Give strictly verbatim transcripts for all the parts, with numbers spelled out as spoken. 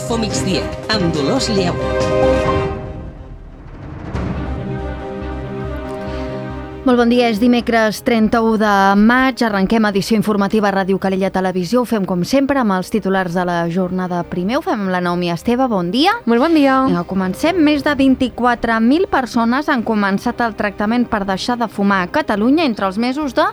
Info Migdia, amb Dolors Lleu. Molt bon dia, és dimecres trenta-u de maig, arrenquem edició informativa a Ràdio Calella Televisió, ho fem com sempre amb els titulars de la jornada. Primer ho fem amb la Naomi Esteve, bon dia. Molt bon dia. Ja, comencem, més de vint-i-quatre mil persones han començat el tractament per deixar de fumar a Catalunya entre els mesos de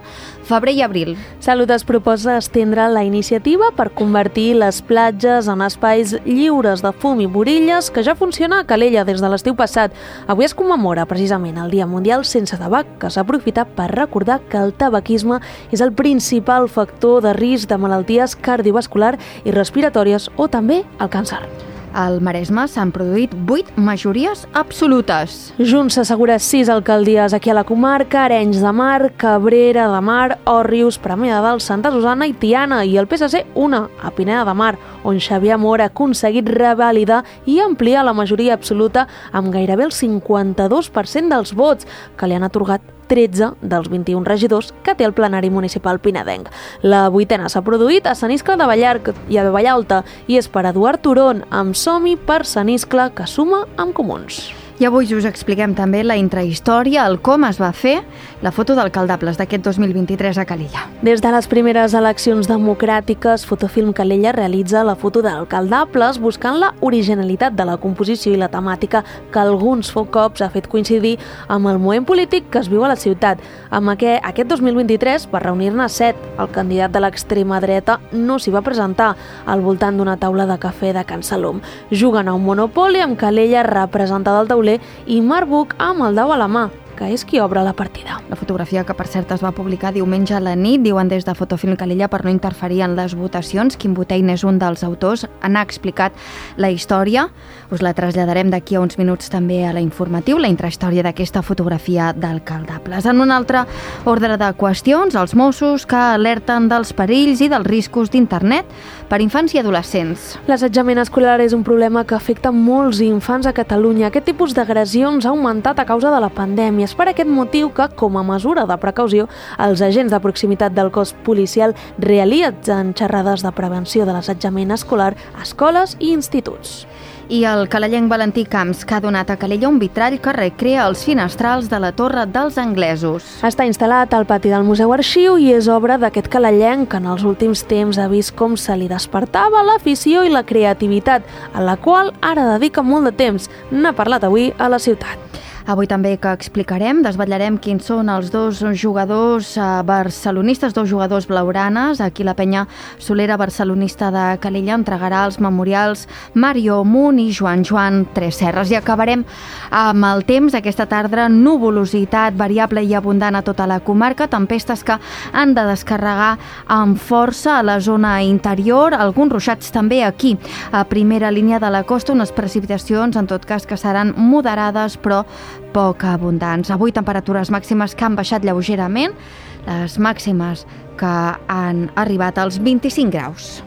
febrer i abril. Salut es proposa estendre la iniciativa per convertir les platges en espais lliures de fum i borilles que ja funciona a Calella des de l'estiu passat. Avui es commemora precisament el Dia Mundial Sense Tabac, que s'aprofita per recordar que el tabaquisme és el principal factor de risc de malalties cardiovasculars i respiratòries o també el càncer. Al Maresme s'han produït vuit majories absolutes. Junts s'assegura sis alcaldies aquí a la comarca: Arenys de Mar, Cabrera de Mar, Òrrius, Premià de Dalt, Santa Susanna i Tiana, i el P S C una, a Pineda de Mar, on Xavier Amor ha aconseguit revalidar i ampliar la majoria absoluta amb gairebé el cinquanta-dos per cent dels vots, que li han atorgat tretze dels vint-i-un regidors que té el plenari municipal pinedenc. La vuitena s'ha produït a Sant Iscle de Vallarc i a Vallalta i és per Eduard Turon, amb Som-hi per Sant Iscle, que suma amb Comuns. I avui us expliquem també la intrahistòria, el com es va fer la foto d'alcaldables d'aquest dos mil vint-i-tres a Calella. Des de les primeres eleccions democràtiques, Fotofilm Calella realitza la foto d'alcaldables buscant la originalitat de la composició i la temàtica que alguns cops ha fet coincidir amb el moment polític que es viu a la ciutat. Amb aquest, aquest dos mil vint-i-tres, per reunir-ne set, el candidat de l'extrema dreta no s'hi va presentar al voltant d'una taula de cafè de Can Salom. Juguen a un monopoli amb Calella representada al tauler i Marc Buch amb el dau a la mà, que és qui obre la partida. La fotografia, que per cert es va publicar diumenge a la nit, diuen des de Fotofilm Calella, per no interferir en les votacions. Quim Botein és un dels autors, n'ha explicat la història. Us la traslladarem d'aquí a uns minuts també a la informatiu, la intrahistòria d'aquesta fotografia d'alcaldables. En un altre ordre de qüestions, els Mossos que alerten dels perills i dels riscos d'internet per infants i adolescents. L'assetjament escolar és un problema que afecta molts infants a Catalunya. Aquest tipus d'agressions ha augmentat a causa de la pandèmia. És per aquest motiu que, com a mesura de precaució, els agents de proximitat del cos policial realitzen xerrades de prevenció de l'assetjament escolar a escoles i instituts. I el calellenc Valentí Camps, que ha donat a Calella un vitrall que recrea els finestrals de la Torre dels Anglesos. Està instal·lat al pati del Museu Arxiu i és obra d'aquest calellenc que en els últims temps ha vist com se li despertava l'afició i la creativitat, a la qual ara dedica molt de temps. N'ha parlat avui a la ciutat. Avui també que explicarem, desvetllarem quins són els dos jugadors barcelonistes, dos jugadors blaugranes. Aquí la penya solera barcelonista de Calella entregarà els memorials Mario Munt i Joan Joan Tresserras. I acabarem amb el temps. Aquesta tarda, nuvolositat variable i abundant a tota la comarca, tempestes que han de descarregar amb força a la zona interior, alguns ruixats també aquí, a primera línia de la costa, unes precipitacions, en tot cas, que seran moderades, però poc abundants. Avui temperatures màximes que han baixat lleugerament, les màximes que han arribat als vint-i-cinc graus.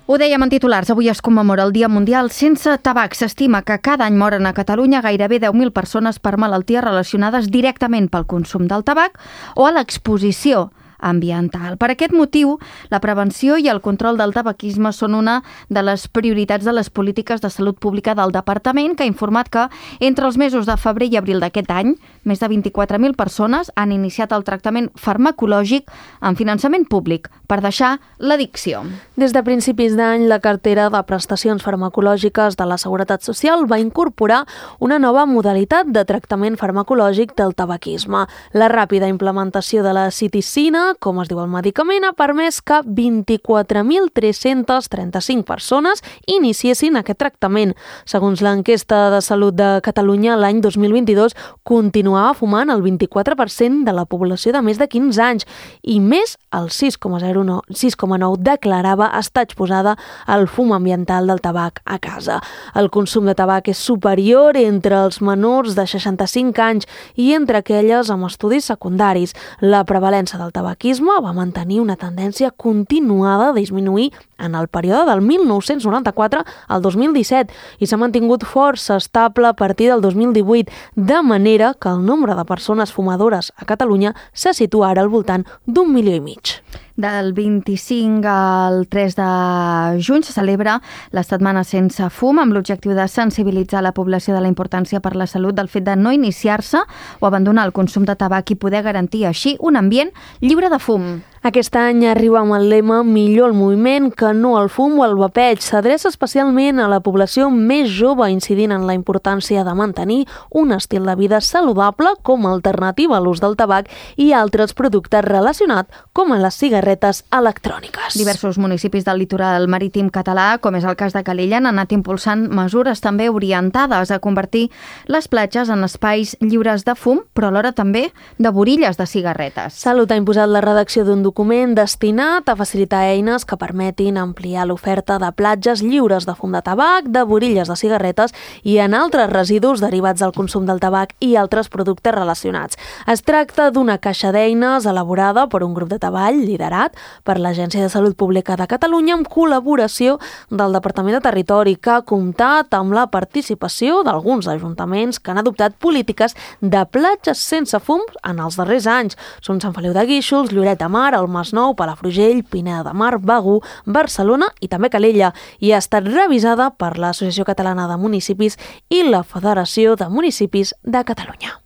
Ho dèiem en titulars, avui es commemora el Dia Mundial Sense Tabac. S'estima que cada any moren a Catalunya gairebé deu mil persones per malalties relacionades directament pel consum del tabac o a l'exposició ambiental. Per aquest motiu, la prevenció i el control del tabaquisme són una de les prioritats de les polítiques de salut pública del Departament, que ha informat que entre els mesos de febrer i abril d'aquest any, més de vint-i-quatre mil persones han iniciat el tractament farmacològic amb finançament públic per deixar l'addicció. Des de principis d'any, la cartera de prestacions farmacològiques de la Seguretat Social va incorporar una nova modalitat de tractament farmacològic del tabaquisme. La ràpida implementació de la citicina, com es diu el medicament, ha permès que vint-i-quatre mil tres-cents trenta-cinc persones iniciessin aquest tractament. Segons l'enquesta de Salut de Catalunya, l'any dos mil vint-i-dos continuava fumant el vint-i-quatre per cent de la població de més de quinze anys i més el sis coma zero nou sis coma nou declarava estar exposada al fum ambiental del tabac a casa. El consum de tabac és superior entre els menors de seixanta-cinc anys i entre aquelles amb estudis secundaris. La prevalença del tabac va mantenir una tendència continuada a disminuir en el període del mil nou-cents noranta-quatre al dos mil disset i s'ha mantingut força estable a partir del dos mil divuit, de manera que el nombre de persones fumadores a Catalunya se situa ara al voltant d'un milió i mig. Del vint-i-cinc al tres de juny se celebra la Setmana Sense Fum amb l'objectiu de sensibilitzar la població de la importància per la salut del fet de no iniciar-se o abandonar el consum de tabac i poder garantir així un ambient lliure de fum. Aquest any arriba amb el lema Millor el moviment que no el fum o el vapeig. S'adreça especialment a la població més jove, incidint en la importància de mantenir un estil de vida saludable com a alternativa a l'ús del tabac i altres productes relacionats com a les cigarretes electròniques. Diversos municipis del litoral marítim català, com és el cas de Calella, han anat impulsant mesures també orientades a convertir les platges en espais lliures de fum, però alhora també de borilles de cigarretes. Salut ha imposat la redacció d'un document destinat a facilitar eines que permetin ampliar l'oferta de platges lliures de fum de tabac, de borilles de cigarretes i en altres residus derivats del consum del tabac i altres productes relacionats. Es tracta d'una caixa d'eines elaborada per un grup de treball liderat per l'Agència de Salut Pública de Catalunya amb col·laboració del Departament de Territori, que ha comptat amb la participació d'alguns ajuntaments que han adoptat polítiques de platges sense fum en els darrers anys. Són Sant Feliu de Guíxols, Lloret de Mar, el Masnou, Palafrugell, Pineda de Mar, Begur, Barcelona i també Calella, i ha estat revisada per l'Associació Catalana de Municipis i la Federació de Municipis de Catalunya.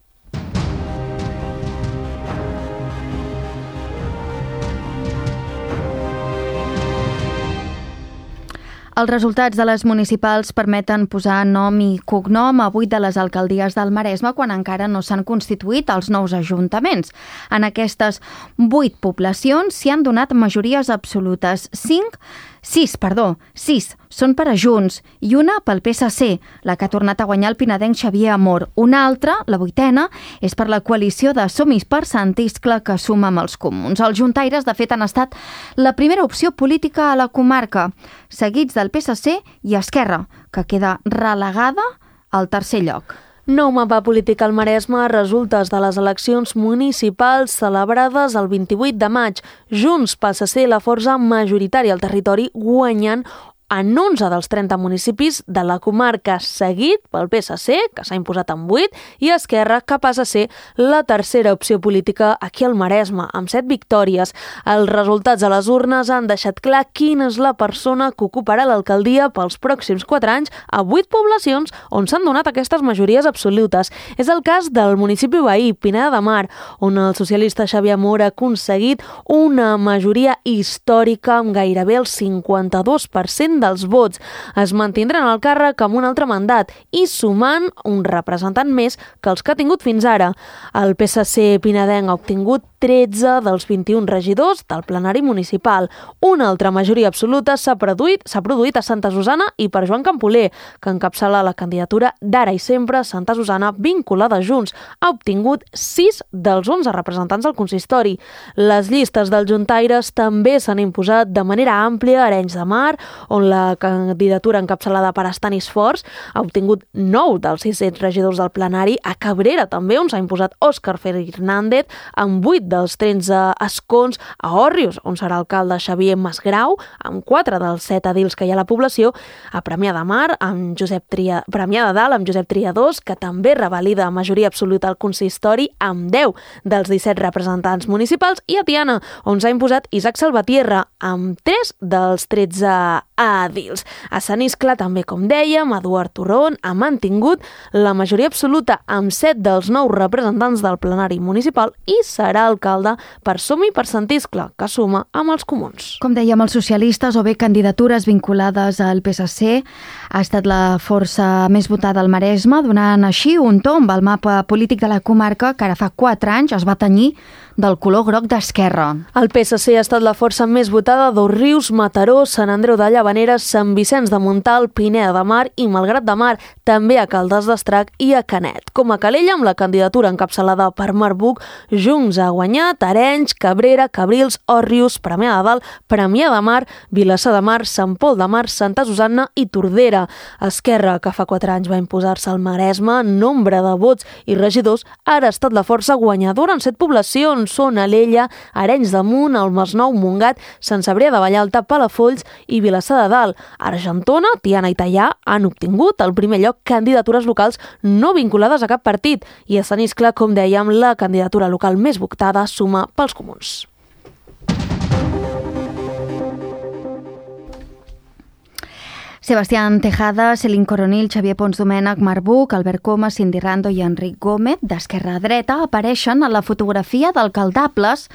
Els resultats de les municipals permeten posar nom i cognom a vuit de les alcaldies del Maresme quan encara no s'han constituït els nous ajuntaments. En aquestes vuit poblacions s'hi han donat majories absolutes. Cinc, sis, perdó, sis són per a Junts i una pel P S C, la que ha tornat a guanyar el pinedenc Xavier Amor. Una altra, la vuitena, és per la coalició de Som-hi per Sant Iscle que suma amb els comuns. Els juntaires, de fet, han estat la primera opció política a la comarca, seguits del P S C i Esquerra, que queda relegada al tercer lloc. Nou mapa polític al Maresme, resultes de les eleccions municipals celebrades el vint-i-vuit de maig. Junts passa a ser la força majoritària al territori, guanyant en onze dels trenta municipis de la comarca, seguit pel P S C, que s'ha imposat en vuit, i Esquerra, que passa a ser la tercera opció política aquí al Maresme, amb set victòries. Els resultats a les urnes han deixat clar quina és la persona que ocuparà l'alcaldia pels pròxims quatre anys a vuit poblacions on s'han donat aquestes majories absolutes. És el cas del municipi veí, Pineda de Mar, on el socialista Xavier Amor ha aconseguit una majoria històrica amb gairebé el cinquanta-dos per cent dels vots. Es mantindran al càrrec amb un altre mandat i sumant un representant més que els que ha tingut fins ara. El P S C pinedenc ha obtingut tretze dels vint-i-un regidors del plenari municipal. Una altra majoria absoluta s'ha produït, s'ha produït a Santa Susana i per Joan Campoler, que encapçala la candidatura d'Ara i Sempre Santa Susana vinculada a Junts. Ha obtingut sis dels onze representants del consistori. Les llistes dels juntaires també s'han imposat de manera àmplia a Arenys de Mar, on la candidatura encapçalada per Estanis Forts ha obtingut nou dels sis regidors del plenari. A Cabrera també, on s'ha imposat Òscar Fernández, amb vuit dels tretze escons. A Òrrius, on serà alcalde Xavier Masgrau, amb quatre dels set edils que hi ha a la població. A Premià de Mar, amb Josep Tria... Premià de Dalt, amb Josep Triadós, que també revalida majoria absoluta al consistori, amb deu dels disset representants municipals. I a Tiana, on s'ha imposat Isaac Salvatierra, amb tres dels tretze edils. A Sant Iscle, també, com dèiem, Eduard Torrón ha mantingut la majoria absoluta amb set dels nou representants del plenari municipal i serà alcalde per Som-hi per Sant Iscle, que suma amb els comuns. Com dèiem, els socialistes o bé candidatures vinculades al P S C ha estat la força més votada al Maresme, donant així un tomb al mapa polític de la comarca que ara fa quatre anys es va tenyir del color groc d'Esquerra. El P S C ha estat la força més votada d'Òrrius, Mataró, Sant Andreu de Llavaneres, Sant Vicenç de Montalt, Pineda de Mar i Malgrat de Mar, també a Caldes d'Estrac i a Canet. Com a Calella, amb la candidatura encapçalada per Marc Buch, Junts ha guanyat Arenys, Cabrera, Cabrils, Òrrius, Premià de Dalt, Premià de Mar, Vilassar de Mar, Sant Pol de Mar, Santa Susanna i Tordera. Esquerra, que fa quatre anys va imposar-se al Maresme en nombre de vots i regidors, ara ha estat la força guanyadora en set poblacions. Són Alella, Arenys de Munt, el Masnou, Montgat, Sant Cebrià de Vallalta, Palafolls i Vilassar de Dalt. Argentona, Tiana i Teià han obtingut al primer lloc candidatures locals no vinculades a cap partit i a Sant Iscle, com dèiem, la candidatura local més votada suma pels comuns. Sebastián Tejada, Celine Coronil, Xavier Pons Domènech, Marc Buch, Albert Coma, Cindy Rando i Enric Gómez, d'esquerra a dreta, apareixen a la fotografia d'alcaldables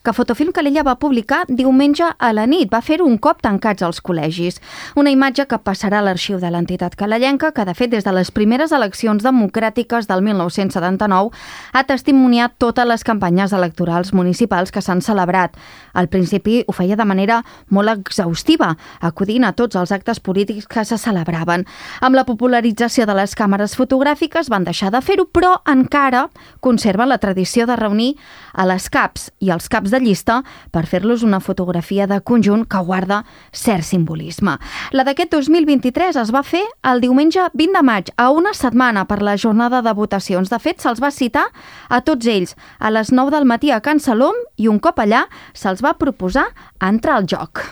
que Fotofilm Calella va publicar diumenge a la nit. Va fer un cop tancats als col·legis. Una imatge que passarà a l'arxiu de l'entitat calellenca, que de fet des de les primeres eleccions democràtiques del mil nou-cents setanta-nou ha testimoniat totes les campanyes electorals municipals que s'han celebrat. Al principi ho feia de manera molt exhaustiva, acudint a tots els actes polítics que se celebraven. Amb la popularització de les càmeres fotogràfiques van deixar de fer-ho, però encara conserva la tradició de reunir a les caps i als caps de llista per fer-los una fotografia de conjunt que guarda cert simbolisme. La d'aquest dos mil vint-i-tres es va fer el diumenge vint de maig, a una setmana per la jornada de votacions. De fet, se'ls va citar a tots ells a les nou del matí a Can Salom i un cop allà se'ls va proposar entrar al joc.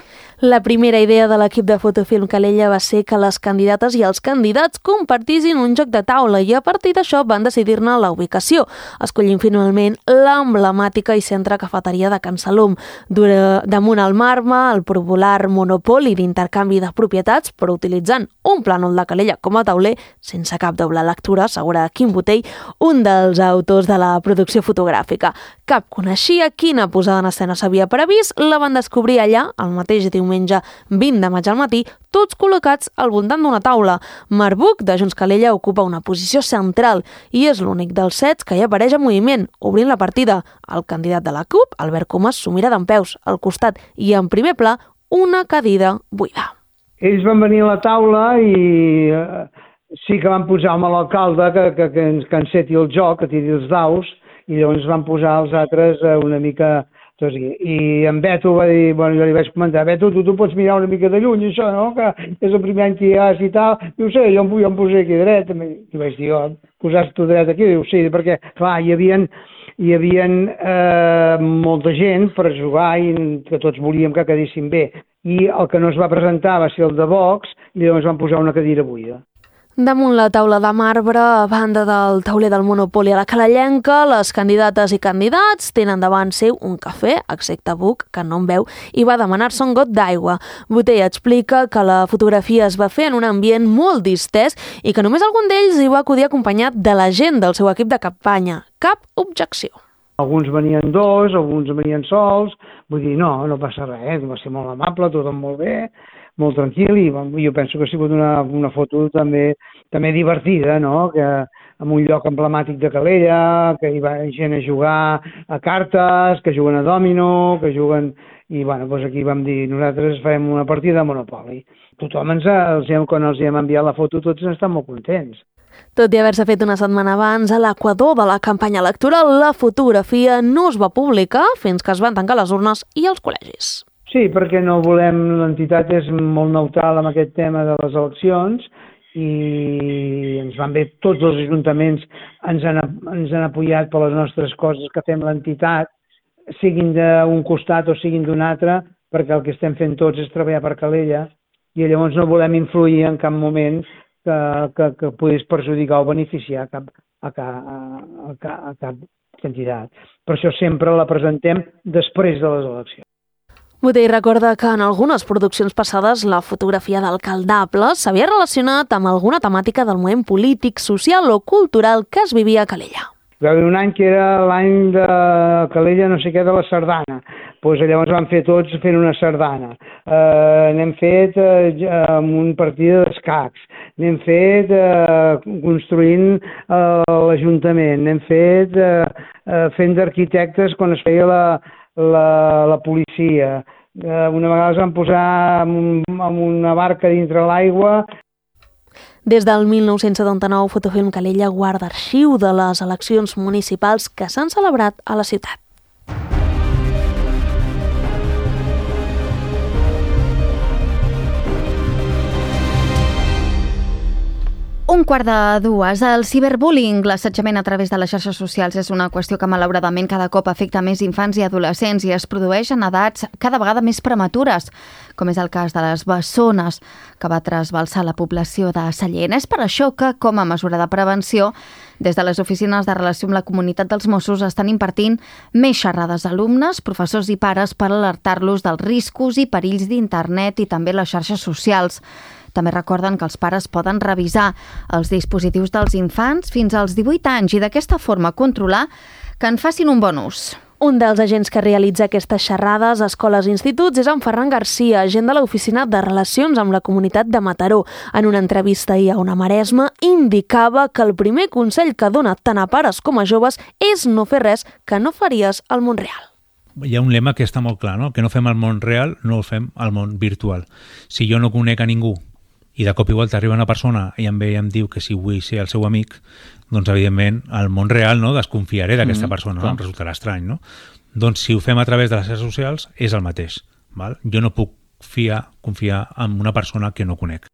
La primera idea de l'equip de Fotofilm Calella va ser que les candidates i els candidats compartissin un joc de taula i a partir d'això van decidir-ne la ubicació, escollint finalment l'emblemàtica i centre cafeteria de Can Salom. Damunt el marme, el popular monopoli d'intercanvi de propietats, però utilitzant un plànol de Calella com a tauler, sense cap doble lectura, assegura Quim Botell, un dels autors de la producció fotogràfica. Cap coneixia quina posada en escena s'havia previst, la van descobrir allà, el mateix diumenge vint de maig al matí, tots col·locats al voltant d'una taula. Marc Buch, de Junts Calella, ocupa una posició central i és l'únic dels sets que hi apareix en moviment, obrint la partida. El candidat de la CUP, Albert Comas, s'ho mira dempeus, al costat i en primer pla, una cadira buida. Ells van venir a la taula i eh, sí que van posar amb l'alcalde que, que, que, ens, que enceti el joc, que tiri els daus, i llavors van posar els altres eh, una mica... Doncs, i, I en Beto va dir, bueno, jo li vaig comentar, Beto, tu, tu pots mirar una mica de lluny, això, no?, que és el primer any que hi has i tal. Diu, sí, jo em, jo em posé aquí dret. I vaig dir, oh, posaves tu dret aquí? Diu, sí, perquè, clar, hi havia, hi havia eh, molta gent per jugar i que tots volíem que quedessin bé. I el que no es va presentar va ser el de Vox i llavors van posar una cadira buida. Damunt la taula de marbre, a banda del tauler del Monopoli a la Calellenca, les candidates i candidats tenen davant seu un cafè, excepte Buch, que no en veu, i va demanar-se un got d'aigua. Botell explica que la fotografia es va fer en un ambient molt distès i que només algun d'ells hi va acudir acompanyat de la gent del seu equip de campanya. Cap objecció. Alguns venien dos, alguns venien sols, vull dir, no, no passa res, va ser molt amable, tot molt bé, molt tranquil, i jo penso que ha sigut una, una foto també, també divertida, no?, que en un lloc emblemàtic de Calella, que hi va gent a jugar a cartes, que juguen a dòmino, que juguen... I bueno, doncs aquí vam dir, nosaltres farem una partida de Monopoli. Tothom ens ha, els hem, quan els hem enviat la foto, tots estan molt contents. Tot i haver-se fet una setmana abans, a l'equador de la campanya electoral, la fotografia no es va publicar fins que es van tancar les urnes i els col·legis. Sí, perquè no volem, l'entitat és molt neutral amb aquest tema de les eleccions i ens van bé, tots els ajuntaments ens han, ens han apoyat per les nostres coses que fem l'entitat, siguin d'un costat o siguin d'un altre, perquè el que estem fent tots és treballar per Calella i llavors no volem influir en cap moment que, que, que puguis perjudicar o beneficiar cap, a, a, a, a cap candidat. Per això sempre la presentem després de les eleccions. Botell recorda que en algunes produccions passades la fotografia d'alcaldables s'havia relacionat amb alguna temàtica del moment polític, social o cultural que es vivia a Calella. Hi va haver un any que era l'any de Calella no sé què de la sardana, doncs llavors vam fer tots fent una sardana, eh, n'hem fet eh, amb un partit d'escacs, n'hem fet eh, construint eh, l'Ajuntament, n'hem fet eh, eh, fent d'arquitectes quan es feia la La, la policia. Eh, una vegada es van posar amb, amb una barca dintre l'aigua. Des del mil nou-cents setanta-nou, Fotofilm Calella guarda arxiu de les eleccions municipals que s'han celebrat a la ciutat. Un quart de dues. El ciberbullying, l'assetjament a través de les xarxes socials, és una qüestió que malauradament cada cop afecta més infants i adolescents i es produeix en edats cada vegada més prematures, com és el cas de les bessones, que va trasbalsar la població de Sallent. És per això que, com a mesura de prevenció, des de les oficines de relació amb la comunitat dels Mossos estan impartint més xerrades a alumnes, professors i pares per alertar-los dels riscos i perills d'internet i també les xarxes socials. També recorden que els pares poden revisar els dispositius dels infants fins als divuit anys i d'aquesta forma controlar que en facin un bon ús. Un dels agents que realitza aquestes xerrades a escoles i instituts és en Ferran Garcia, agent de l'Oficina de Relacions amb la Comunitat de Mataró. En una entrevista ahir a Ona Maresma, indicava que el primer consell que dona tant a pares com a joves és no fer res que no faries al món real. Hi ha un lema que està molt clar, no? Que no fem al món real, no el fem al món virtual. Si jo no conec a ningú i de cop igual t'arriba una persona i em ve i em diu que si vull ser el seu amic, doncs evidentment al món real no desconfiaré d'aquesta mm, persona, no? Em resultarà estrany, no? Doncs si ho fem a través de les xarxes socials és el mateix, val? Jo no puc fiar, confiar en una persona que no conec.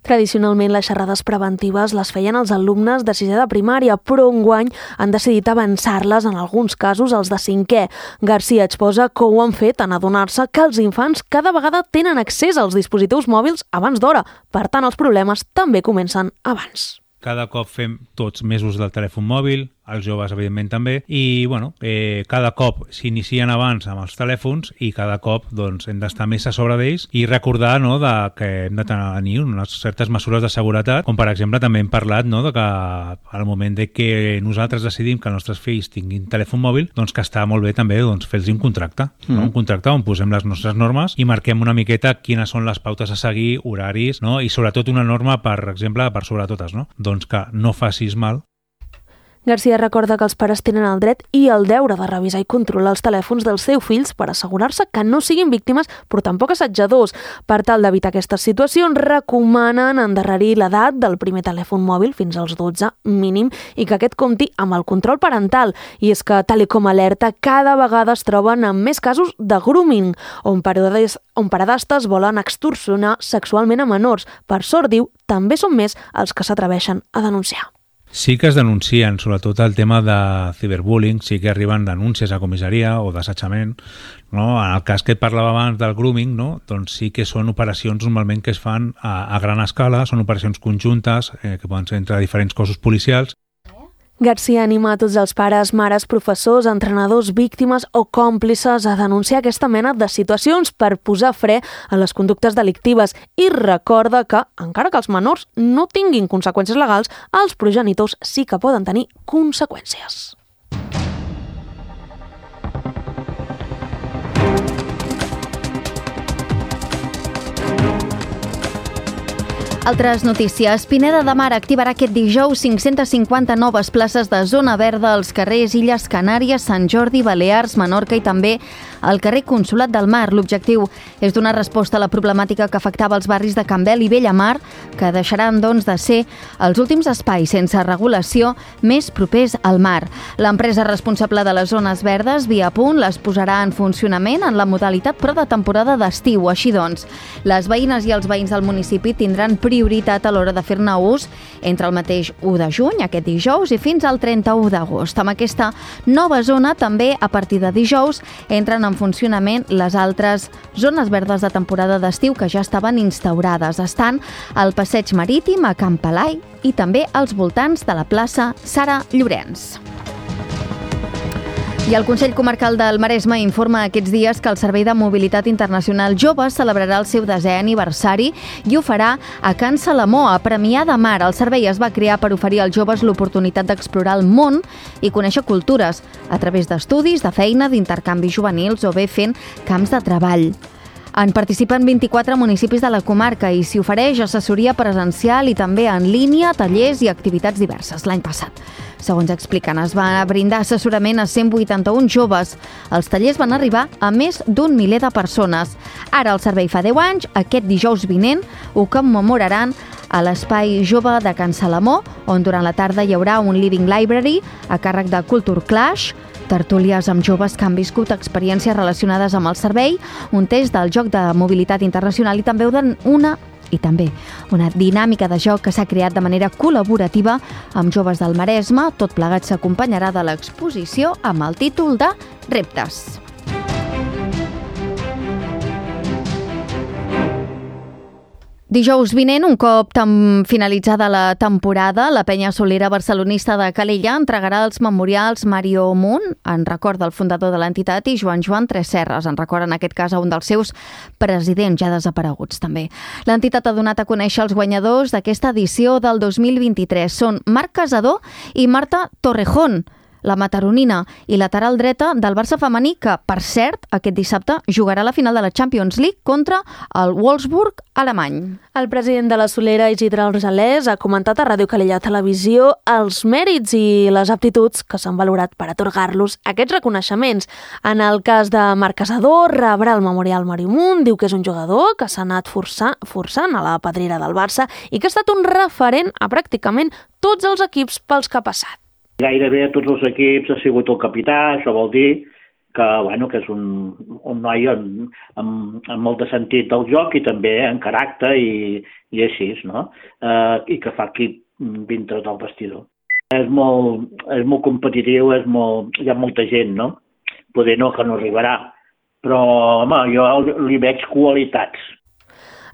Tradicionalment, les xerrades preventives les feien els alumnes de sisè de primària, però enguany han decidit avançar-les en alguns casos als de cinquè. Garcia exposa que ho han fet en adonar-se que els infants cada vegada tenen accés als dispositius mòbils abans d'hora. Per tant, els problemes també comencen abans. Cada cop fem tots més ús del telèfon mòbil, els joves evidentment també, i bueno, eh, cada cop s'inicien abans amb els telèfons i cada cop doncs, hem d'estar més a sobre d'ells i recordar no, de que hem de tenir unes certes mesures de seguretat, com per exemple també hem parlat no, de que al moment de que nosaltres decidim que els nostres fills tinguin telèfon mòbil, doncs que està molt bé també doncs, fer-los un contracte, mm. no? un contracte on posem les nostres normes i marquem una miqueta quines són les pautes a seguir, horaris, no? I sobretot una norma, per exemple, per sobre totes, no? Doncs que no facis mal. Garcia recorda que els pares tenen el dret i el deure de revisar i controlar els telèfons dels seus fills per assegurar-se que no siguin víctimes, però tampoc assetjadors. Per tal d'evitar aquestes situacions, recomanen endarrerir l'edat del primer telèfon mòbil fins als dotze mínim i que aquest compti amb el control parental. I és que, tal com alerta, cada vegada es troben amb més casos de grooming, on paredes, on paredastes volen extorsionar sexualment a menors. Per sort, diu, també són més els que s'atreveixen a denunciar. Sí que es denuncien, sobretot el tema de ciberbullying, sí que arriben denúncies a comissaria o d'assetjament. No? En el cas que et parlava abans del grooming, no? Doncs sí que són operacions normalment que es fan a, a gran escala, són operacions conjuntes eh, que poden ser entre diferents cossos policials. Garcia anima a tots els pares, mares, professors, entrenadors, víctimes o còmplices a denunciar aquesta mena de situacions per posar fre a les conductes delictives i recorda que, encara que els menors no tinguin conseqüències legals, els progenitors sí que poden tenir conseqüències. Altres notícies. Pineda de Mar activarà aquest dijous cinc-centes cinquanta noves places de zona verda als carrers Illes Canàries, Sant Jordi, Balears, Menorca i també al carrer Consolat del Mar. L'objectiu és donar resposta a la problemàtica que afectava els barris de Campbell i Bellamar, que deixaran doncs de ser els últims espais sense regulació més propers al mar. L'empresa responsable de les zones verdes, Viapunt, les posarà en funcionament en la modalitat però de temporada d'estiu. Així doncs, les veïnes i els veïns del municipi tindran prioritat a l'hora de fer-ne ús entre el mateix u de juny, aquest dijous, i fins al trenta-u d'agost. Amb aquesta nova zona, també a partir de dijous, entren en funcionament les altres zones verdes de temporada d'estiu que ja estaven instaurades. Estan al Passeig Marítim, a Camp Pelai i també als voltants de la plaça Sara Llorenç. I el Consell Comarcal del Maresme informa aquests dies que el Servei de Mobilitat Internacional Jove celebrarà el seu desè aniversari i ho farà a Can Salamó, a Premià de Mar. El servei es va crear per oferir als joves l'oportunitat d'explorar el món i conèixer cultures a través d'estudis, de feina, d'intercanvis juvenils o bé fent camps de treball. En participen vint-i-quatre municipis de la comarca i s'hi ofereix assessoria presencial i també en línia, tallers i activitats diverses. L'any passat, segons expliquen, es va brindar assessorament a cent vuitanta-un joves. Els tallers van arribar a més d'un miler de persones. Ara el servei fa deu anys, aquest dijous vinent ho commemoraran a l'Espai Jove de Can Salamó, on durant la tarda hi haurà un Living Library a càrrec de Culture Clash, tertúlies amb joves que han viscut experiències relacionades amb el servei, un test del joc de mobilitat internacional i també una i també una dinàmica de joc que s'ha creat de manera col·laborativa amb joves del Maresme. Tot plegat s'acompanyarà de l'exposició amb el títol de Reptes. Dijous vinent, un cop tam finalitzada la temporada, la penya solera barcelonista de Calella entregarà els memorials Mario Munt, en record del fundador de l'entitat, i Joan Joan Tresserras, en record en aquest cas a un dels seus presidents ja desapareguts també. L'entitat ha donat a conèixer els guanyadors d'aquesta edició del dos mil vint-i-tres. Són Marc Casador i Marta Torrejón, la mataronina i lateral dreta del Barça femení, que, per cert, aquest dissabte jugarà la final de la Champions League contra el Wolfsburg alemany. El president de la Solera, Isidre Argelès, ha comentat a Ràdio Calella Televisió els mèrits i les aptituds que s'han valorat per atorgar-los aquests reconeixements. En el cas de Marc Casador, rebrà el Memorial Mario Munt, diu que és un jugador que s'ha anat forçant, forçant a la pedrera del Barça i que ha estat un referent a pràcticament tots els equips pels que ha passat. Gairebé a tots els equips ha sigut el capità, això vol dir que, bueno, que és un, un noi amb, amb, amb molt de sentit del joc i també en caràcter i, i així, no? Eh, I que fa equip dintre del vestidor. És molt, és molt competitiu, és molt, hi ha molta gent, no? Poder no, que no arribarà, però, home, jo li veig qualitats.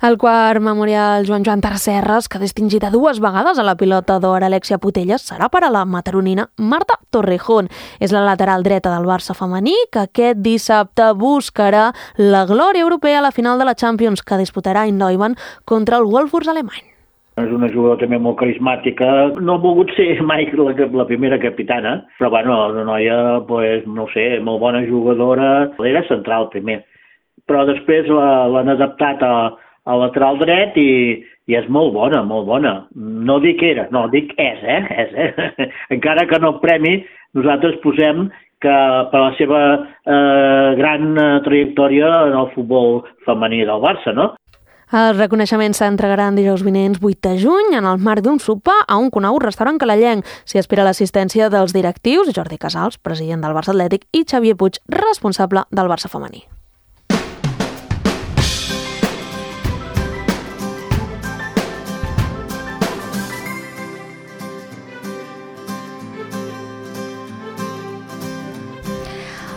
El quart memorial Joan Joan Tresserras, que ha distingit a dues vegades a la pilota d'or Alexia Putelles, serà per a la mataronina Marta Torrejón. És la lateral dreta del Barça femení, que aquest dissabte buscarà la glòria europea a la final de la Champions, que disputarà in Neumann contra el Wolfsburg alemany. És una jugadora també molt carismàtica. No ha volgut ser mai la, la primera capitana, però bueno, una noia, pues, no sé, molt bona jugadora. Era central primer, però després l'han adaptat a al lateral dret i, i és molt bona, molt bona. No dic era, no, dic és, eh? És, eh? Encara que no el premi, nosaltres posem que per la seva eh, gran trajectòria en el futbol femení del Barça, no? Els reconeixements s'entregaran dijous vinents vuit de juny en el marc d'un sopar a un conegut restaurant calellenc. S'hi espera l'assistència dels directius Jordi Casals, president del Barça Atlètic, i Xavier Puig, responsable del Barça femení.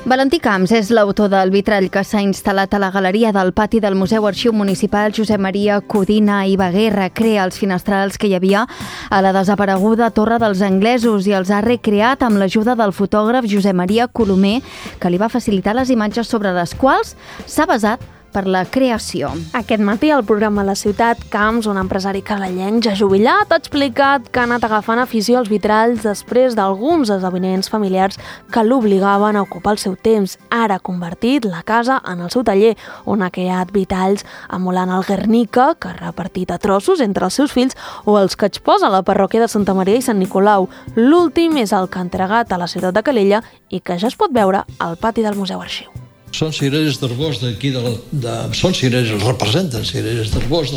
Valentí Camps és l'autor del vitrall que s'ha instal·lat a la galeria del pati del Museu Arxiu Municipal Josep Maria Codina i Baguer. Recrea els finestrals que hi havia a la desapareguda Torre dels Anglesos i els ha recreat amb l'ajuda del fotògraf Josep Maria Colomer, que li va facilitar les imatges sobre les quals s'ha basat per la creació. Aquest matí al programa La Ciutat, Camps, un empresari calellenc ja jubilat, ha explicat que ha anat agafant afició als vitralls després d'alguns esdeveniments familiars que l'obligaven a ocupar el seu temps. Ara ha convertit la casa en el seu taller, on ha creat vitralls emulant el Guernica, que ha repartit a trossos entre els seus fills, o els que exposa a la parròquia de Santa Maria i Sant Nicolau. L'últim és el que ha entregat a la ciutat de Calella i que ja es pot veure al pati del Museu Arxiu. Són cireres d'arbós d'aquí, de, de, són cireres, els representen cireres d'arbós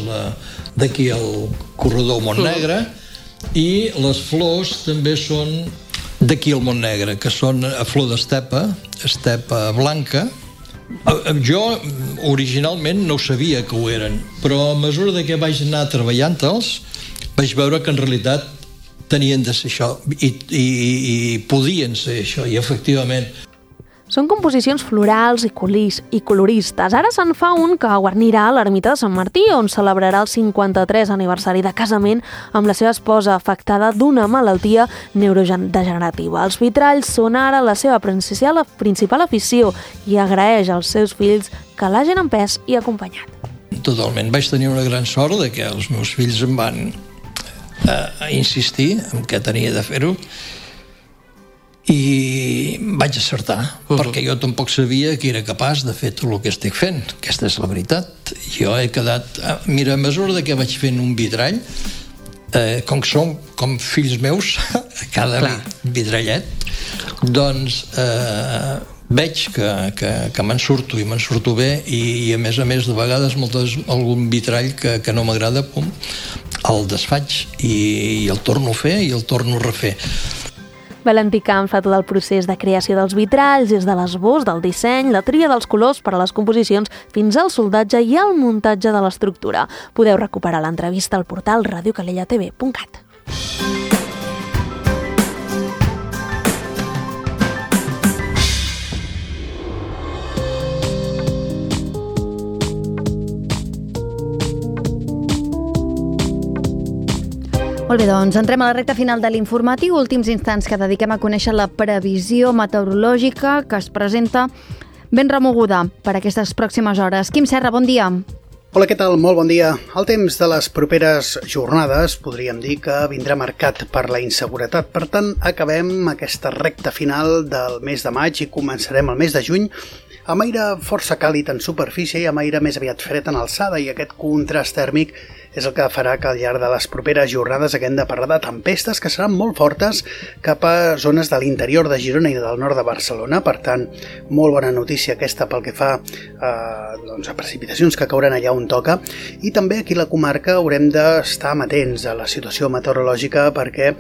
d'aquí al corredor Montnegre, i les flors també són d'aquí al Montnegre, que són a flor d'estepa, estepa blanca. Jo originalment no sabia que ho eren, però a mesura que vaig anar treballant-los vaig veure que en realitat tenien de ser això i, i, i podien ser això, i efectivament. Són composicions florals i, colis, i coloristes. Ara se'n fa un que guarnirà l'ermita de Sant Martí, on celebrarà el cinquanta-tres aniversari de casament amb la seva esposa, afectada d'una malaltia neurodegenerativa. Els vitralls són ara la seva principal, principal afició i agraeix als seus fills que l'hagin empès i acompanyat. Totalment. Vaig tenir una gran sort de que els meus fills em van eh, insistir en què tenia de fer-ho, i vaig acertar, uh-huh. perquè jo tampoc sabia que era capaç de fer tot el que estic fent. Aquesta és la veritat. Jo he quedat... Mira, a mesura que vaig fent un vitrall, eh, com que són com fills meus, cada Clar. vitrallet, doncs eh, veig que, que, que me'n surto i me'n surto bé, i, i a més a més de vegades moltes, algun vitrall que, que no m'agrada, pum, el desfaig i, i el torno a fer i el torno a refer. Valentí Camps fa tot el procés de creació dels vitralls, des de l'esbós, del disseny, la tria dels colors per a les composicions, fins al soldatge i el muntatge de l'estructura. Podeu recuperar l'entrevista al portal radio calella t v punt cat. Molt bé, doncs entrem a la recta final de l'informatiu, últims instants que dediquem a conèixer la previsió meteorològica que es presenta ben remoguda per aquestes pròximes hores. Quim Serra, bon dia. Hola, què tal? Molt bon dia. El temps de les properes jornades podríem dir que vindrà marcat per la inseguretat. Per tant, acabem aquesta recta final del mes de maig i començarem el mes de juny amb aire força càlid en superfície i amb aire més aviat fred en alçada, i aquest contrast tèrmic és el que farà que al llarg de les properes jornades haguem de parlar de tempestes que seran molt fortes cap a zones de l'interior de Girona i del nord de Barcelona. Per tant, molt bona notícia aquesta pel que fa eh, doncs a precipitacions que cauran allà on toca, i també aquí a la comarca haurem d'estar amatents a la situació meteorològica perquè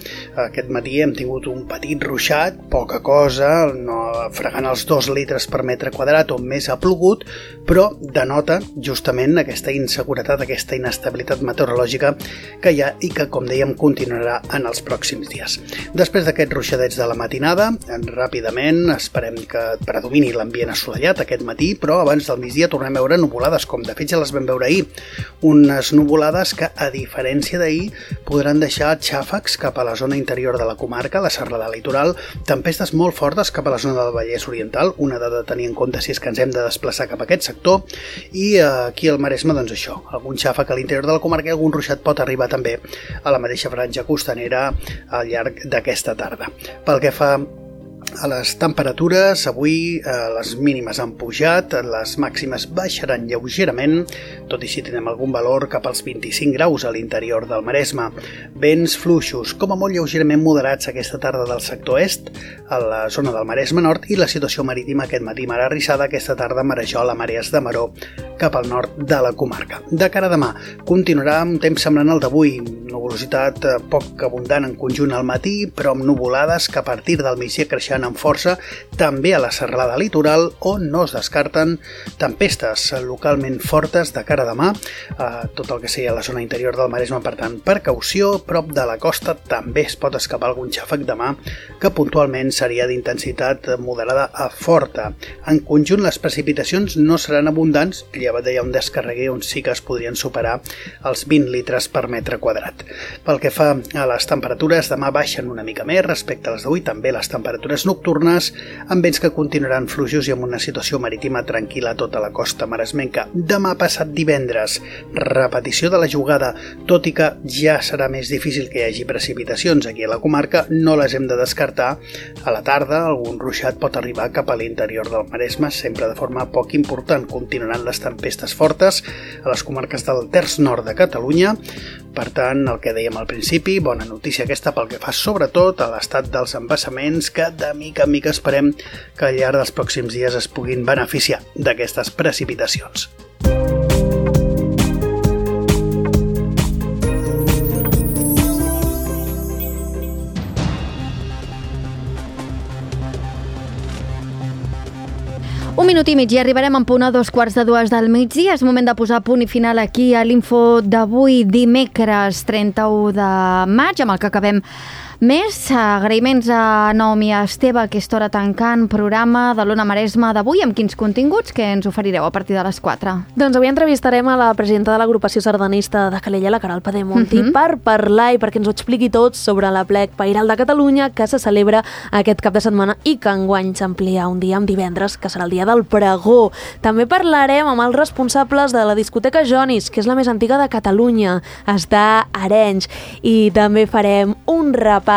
aquest matí hem tingut un petit ruixat, poca cosa, no fregant els dos litres per metre quadrat on més ha plogut, però denota justament aquesta inseguretat, aquesta inestabilitat meteorològica que hi ha i que, com dèiem, continuarà en els pròxims dies. Després d'aquests ruixadets de la matinada, ràpidament esperem que predomini l'ambient assolellat aquest matí, però abans del migdia tornem a veure nuvolades, com de fet ja les vam veure ahir. Unes nuvolades que, a diferència d'ahir, podran deixar xàfecs cap a la zona interior de la comarca, la serralada litoral, tempestes molt fortes cap a la zona del Vallès Oriental, una dada a tenir en compte si és que ens hem de desplaçar cap a aquest sector, i aquí al Maresme, doncs això, algun xàfec a l'interior de la comarca i algun ruixat pot arribar també a la mateixa franja costanera al llarg d'aquesta tarda. Pel que fa a les temperatures, avui eh, les mínimes han pujat, les màximes baixaran lleugerament, tot i si tenim algun valor cap als vint-i-cinc graus a l'interior del Maresme. Vents fluixos, com a molt lleugerament moderats aquesta tarda del sector est, a la zona del Maresme Nord, i la situació marítima aquest matí mar arrissada, aquesta tarda Marejola, Marees de Maró, cap al nord de la comarca. De cara a demà, continuarà un temps semblant al d'avui, nuvolositat poc abundant en conjunt al matí, però amb nuvolades que a partir del migdia creixen amb força també a la serralada litoral, on no es descarten tempestes localment fortes de cara a demà, a tot el que sigui a la zona interior del Maresme. Per tant, precaució, prop de la costa també es pot escapar algun xàfec demà que puntualment seria d'intensitat moderada a forta. En conjunt, les precipitacions no seran abundants, llevat d'allà un descarreguer on sí que es podrien superar els vint litres per metre quadrat. Pel que fa a les temperatures, demà baixen una mica més respecte a les d'avui, també les temperatures nocturnes, amb vents que continuaran fluixos i amb una situació marítima tranquil·la a tota la costa maresmenca. Demà passat divendres, repetició de la jugada, tot i que ja serà més difícil que hi hagi precipitacions aquí a la comarca, no les hem de descartar. A la tarda, algun ruixat pot arribar cap a l'interior del Maresme, sempre de forma poc important. Continuaran les tempestes fortes a les comarques del terç nord de Catalunya. Per tant, el que dèiem al principi, bona notícia aquesta pel que fa sobretot a l'estat dels embassaments, que de mica en mica esperem que al llarg dels pròxims dies es puguin beneficiar d'aquestes precipitacions. Un minut i mig i arribarem en punt a dos quarts de dues del migdia. És moment de posar punt i final aquí a l'info d'avui, dimecres trenta-u de maig, amb el que acabem més. Agraïments a Naomi i a Esteve, a aquesta hora tancant programa de l'Ona Maresme d'avui. Amb quins continguts que ens oferireu a partir de les quatre? Doncs avui entrevistarem a la presidenta de l'agrupació sardanista de Calella, la Queralt Pedemonti, uh-huh. per parlar i perquè ens ho expliqui tot sobre l'Aplec Pairal de Catalunya, que se celebra aquest cap de setmana i que enguany s'amplia un dia amb divendres, que serà el dia del pregó. També parlarem amb els responsables de la discoteca Jonis, que és la més antiga de Catalunya, està a Arenys, i també farem un repàs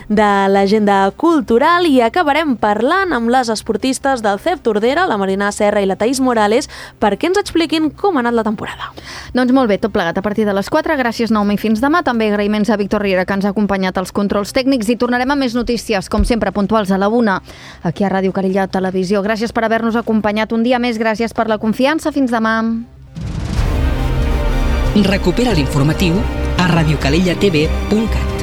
de l'agenda cultural i acabarem parlant amb les esportistes del C E P Tordera, la Marina Serra i la Thaís Morales, perquè ens expliquin com ha anat la temporada. Doncs molt bé, tot plegat a partir de les quatre. Gràcies, Naomi, fins demà. També agraïments a Víctor Riera, que ens ha acompanyat als controls tècnics, i tornarem a més notícies, com sempre, puntuals a la una, aquí a Ràdio Calella Televisió. Gràcies per haver-nos acompanyat un dia més, gràcies per la confiança. Fins demà. Recupera l'informatiu a radiocalellatv punt cat.